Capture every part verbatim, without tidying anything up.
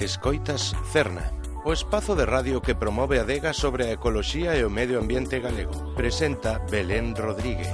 Escoitas Cerna, o espazo de radio que promove a adega sobre a ecoloxía e o medio ambiente galego. Presenta Belén Rodríguez.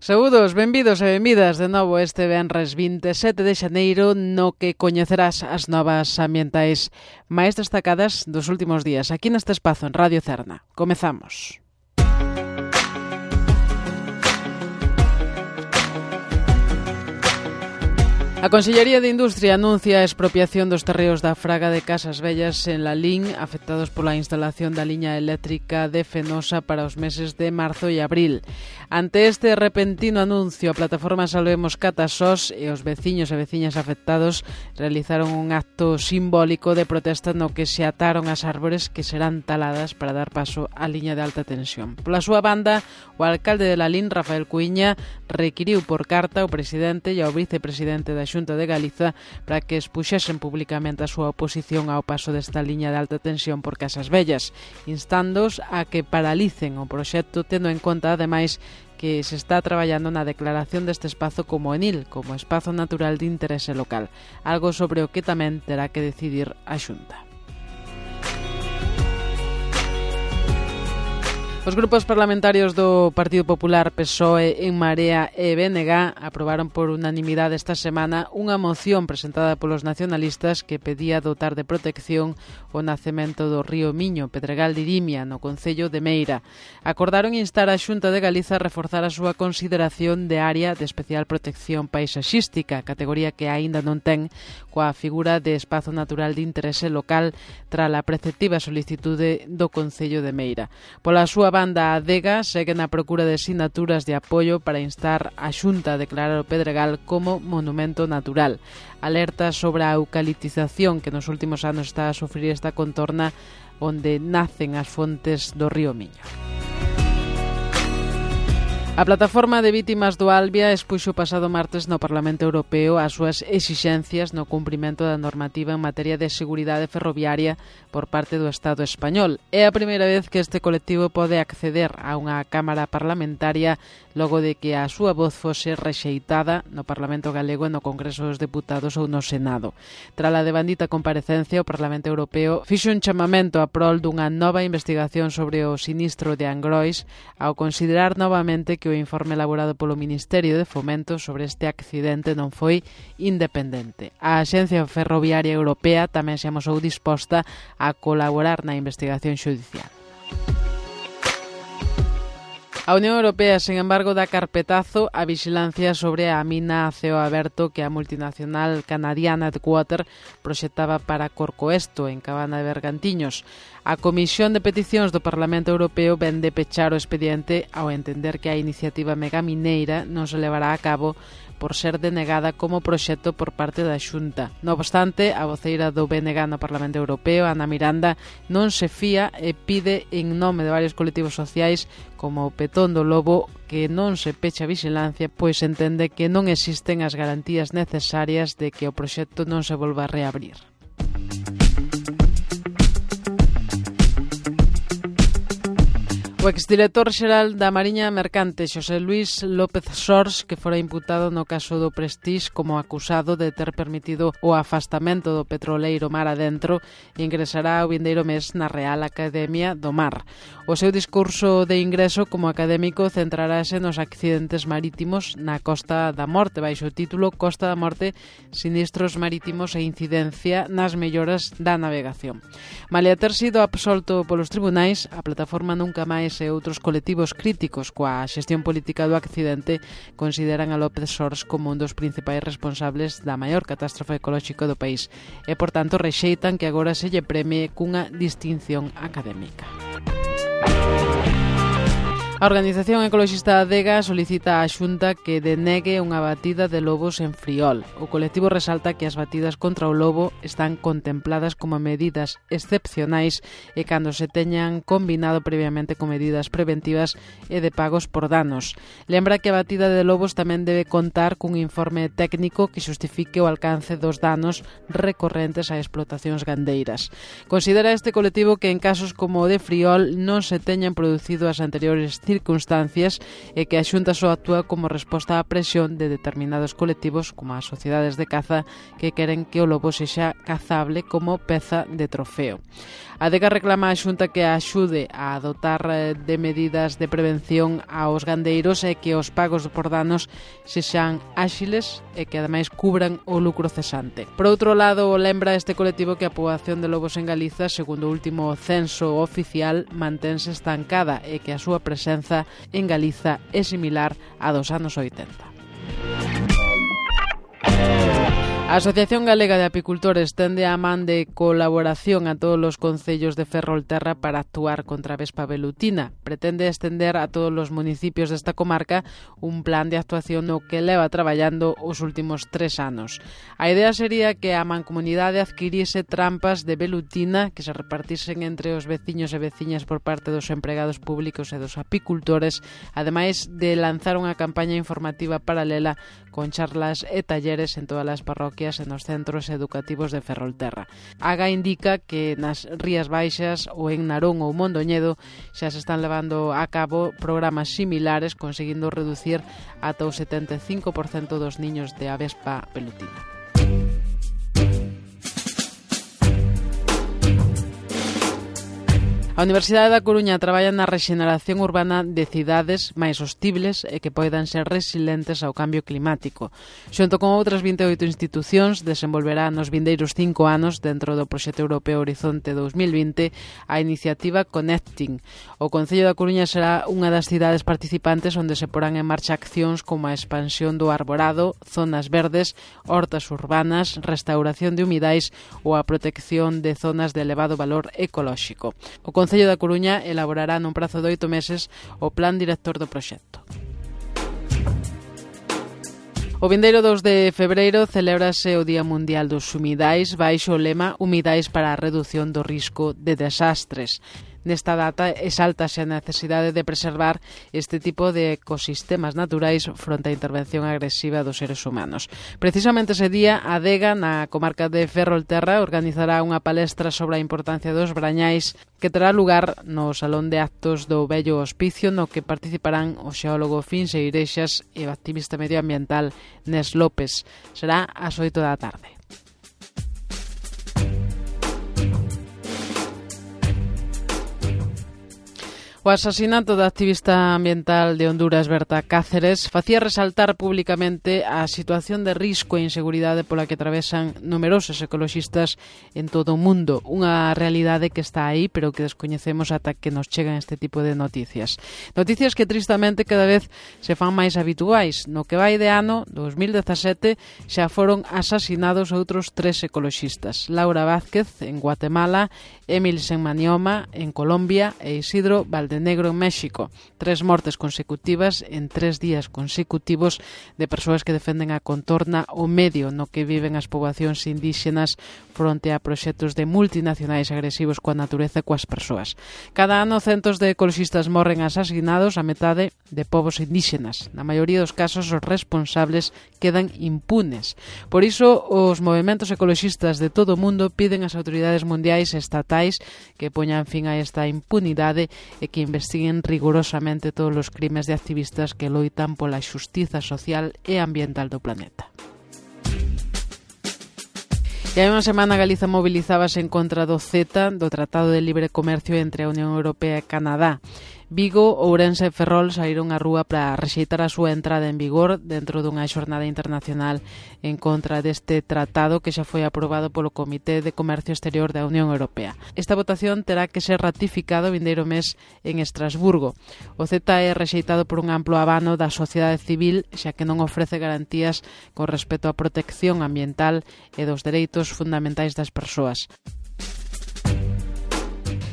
Saúdos, benvidos e benvidas de novo este venres vinte e sete de xaneiro no que coñecerás as novas ambientais máis destacadas dos últimos días aquí neste espazo en Radio Cerna. Comezamos. A Consellería de Industria anuncia a expropiación dos terreos da Fraga de Casas Vellas en Lalín, afectados pola instalación da liña eléctrica de Fenosa para os meses de marzo e abril. Ante este repentino anuncio, a plataforma Salvemos Catasós e os veciños e veciñas afectados realizaron un acto simbólico de protesta no que se ataron as árbores que serán taladas para dar paso á liña de alta tensión. Pola súa banda, o alcalde de Lalín, Rafael Cuíña, requiriu por carta ao presidente e ao vicepresidente da Xunta de Galiza para que expuxesen públicamente a súa oposición ao paso desta liña de alta tensión por Casas Vellas, instándoos a que paralicen o proxecto, tendo en conta, ademais, que se está traballando na declaración deste espazo como ENIL, como espazo natural de interese local, algo sobre o que tamén terá que decidir a Xunta. Os grupos parlamentarios do Partido Popular, P S O E, En Marea e B N G aprobaron por unanimidade esta semana unha moción presentada polos nacionalistas que pedía dotar de protección o nacemento do río Miño, Pedregal de Irimia, no concello de Meira. Acordaron instar a Xunta de Galiza a reforzar a súa consideración de área de especial protección paisaxística, categoría que aínda non ten, coa figura de espazo natural de interese local tras a preceptiva solicitude do concello de Meira. Pola súa banda, a adega segue na procura de sinaturas de apoio para instar a Xunta a declarar o Pedregal como monumento natural. Alerta sobre a eucaliptización que nos últimos anos está a sufrir esta contorna onde nacen as fontes do río Miño. A plataforma de vítimas do Albia expuxo o pasado martes no Parlamento Europeo as súas exixencias no cumprimento da normativa en materia de seguridade ferroviaria por parte do Estado español. É a primeira vez que este colectivo pode acceder a unha cámara parlamentaria logo de que a súa voz fose rexeitada no Parlamento Galego e no Congreso dos Deputados ou no Senado. Tras a devandita comparecencia, o Parlamento Europeo fixo un chamamento a prol dunha nova investigación sobre o sinistro de Angrois ao considerar novamente que o informe elaborado polo Ministerio de Fomento sobre este accidente non foi independente. A Axencia Ferroviaria Europea tamén se amosou disposta a colaborar na investigación xudicial. A Unión Europea, sen embargo, dá carpetazo á vixilancia sobre a mina a ceo aberto que a multinacional canadiana Deepwater proxectaba para Corcoesto, en Cabana de Bergantiños. A Comisión de Peticións do Parlamento Europeo ven de pechar o expediente ao entender que a iniciativa megamineira non se levará a cabo por ser denegada como proxecto por parte da Xunta. Non obstante, a voceira do B N G no Parlamento Europeo, Ana Miranda, non se fía e pide en nome de varios colectivos sociais como o Petón do Lobo que non se peche a vixilancia, pois entende que non existen as garantías necesarias de que o proxecto non se volva a reabrir. O exdirector xeral da Mariña Mercante, Xosé Luís López Sors, que fora imputado no caso do Prestige como acusado de ter permitido o afastamento do petroleiro mar adentro, ingresará o vindeiro mes na Real Academia do Mar. O seu discurso de ingreso como académico centrarase nos accidentes marítimos na Costa da Morte, baixo o título Costa da Morte, sinistros marítimos e incidencia nas melloras da navegación. Malia ter sido absolto polos tribunais, a plataforma Nunca Máis e outros colectivos críticos coa xestión política do accidente consideran a López Sors como un dos principais responsables da maior catástrofe ecolóxica do país e, por tanto, rexeitan que agora se lle premie cunha distinción académica. A organización ecoloxista Adega solicita á Xunta que denegue unha batida de lobos en Friol. O colectivo resalta que as batidas contra o lobo están contempladas como medidas excepcionais e cando se teñan combinado previamente con medidas preventivas e de pagos por danos. Lembra que a batida de lobos tamén debe contar cun informe técnico que xustifique o alcance dos danos recorrentes a explotacións gandeiras. Considera este colectivo que en casos como o de Friol non se teñan producido as anteriores circunstancias e que a Xunta só actúa como resposta á presión de determinados colectivos como as sociedades de caza que queren que o lobo sexa cazable como peza de trofeo. A Adega reclama á Xunta que axude a adotar de medidas de prevención aos gandeiros e que os pagos por danos sexan áxiles e que ademais cubran o lucro cesante. Por outro lado, lembra este colectivo que a poboación de lobos en Galiza, segundo o último censo oficial, mantense estancada e que a súa presenza en Galiza é similar á dos anos oitenta. A Asociación Galega de Apicultores tende a man de colaboración a todos os concellos de Ferrolterra para actuar contra a vespa velutina. Pretende estender a todos os municipios desta comarca un plan de actuación no que leva traballando os últimos tres anos. A idea sería que a mancomunidade adquirise trampas de velutina que se repartisen entre os veciños e veciñas por parte dos empregados públicos e dos apicultores, ademais de lanzar unha campaña informativa paralela con charlas e talleres en todas as parroquias e nos centros educativos de Ferrolterra. Aga indica que nas Rías Baixas ou en Narón ou Mondoñedo xa se están levando a cabo programas similares, conseguindo reducir ata o setenta e cinco por cento dos niños de avespa velutina. A Universidade da Coruña traballa na rexeneración urbana de cidades máis hostibles e que poidan ser resilientes ao cambio climático. Xunto con outras vinte e oito institucións, desenvolverá nos vindeiros cinco anos, dentro do proxecto europeo Horizonte dos mil vinte, a iniciativa Connecting. O Concello da Coruña será unha das cidades participantes onde se porán en marcha accións como a expansión do arborado, zonas verdes, hortas urbanas, restauración de humidais ou a protección de zonas de elevado valor ecolóxico. O Concello da Coruña elaborará nun prazo de oito meses o plan director do proxecto. O vindeiro dous de febreiro celébrase o Día Mundial dos Humidais baixo o lema Humidais para a redución do risco de desastres. Nesta data exáltase a necesidade de preservar este tipo de ecosistemas naturais fronte á intervención agresiva dos seres humanos. Precisamente ese día, a Adega, na comarca de Ferrolterra, organizará unha palestra sobre a importancia dos brañais que terá lugar no Salón de Actos do Vello Hospicio, no que participarán o xeólogo Finse Ireixas e o activista medioambiental Nes López. Será ás oito da tarde. O asasinato da activista ambiental de Honduras, Berta Cáceres, facía resaltar públicamente a situación de risco e inseguridade pola que atravesan numerosos ecoloxistas en todo o mundo. Unha realidade que está aí, pero que descoñecemos ata que nos chegan este tipo de noticias. Noticias que tristamente cada vez se fan máis habituais. No que vai de ano, dos mil dezasete, xa foron asasinados outros tres ecoloxistas. Laura Vázquez, en Guatemala, Emil Senmanioma, en Colombia, e Isidro Valdenegro, en México. Tres mortes consecutivas en tres días consecutivos de persoas que defenden a contorna o medio no que viven as poboacións indígenas fronte a proxectos de multinacionais agresivos coa natureza e coas persoas. Cada ano centos de ecoloxistas morren asasinados, a metade de povos indígenas. Na maioría dos casos os responsables quedan impunes. Por iso os movementos ecoloxistas de todo o mundo piden ás autoridades mundiais e estatais que poñan fin a esta impunidade e que investiguen rigorosamente todos os crimes de activistas que loitan pola xustiza social e ambiental do planeta. E hai unha semana Galiza movilizábase en contra do CETA, do Tratado de Libre Comercio entre a Unión Europea e Canadá. Vigo, Ourense e Ferrol saíron á rúa para rexeitar a súa entrada en vigor dentro dunha xornada internacional en contra deste tratado que xa foi aprobado polo Comité de Comercio Exterior da Unión Europea. Esta votación terá que ser ratificado o vindeiro mes en Estrasburgo. O CETA é rexeitado por un amplo abano da sociedade civil, xa que non ofrece garantías con respecto á protección ambiental e dos dereitos fundamentais das persoas.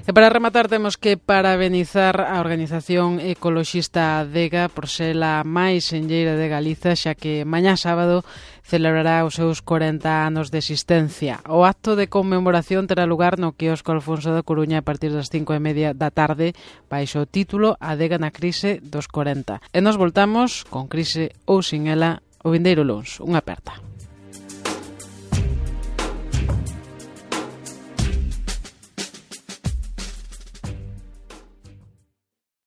E para rematar temos que parabenizar a organización ecoloxista Adega por ser a máis enlleira de Galiza, xa que mañá sábado celebrará os seus corenta anos de existencia. O acto de conmemoración terá lugar no quiosco Alfonso da Coruña a partir das cinco e media da tarde baixo o título Adega na crise dos corenta. E nos voltamos, con crise ou sin ela, o vindeiro luns. Unha aperta.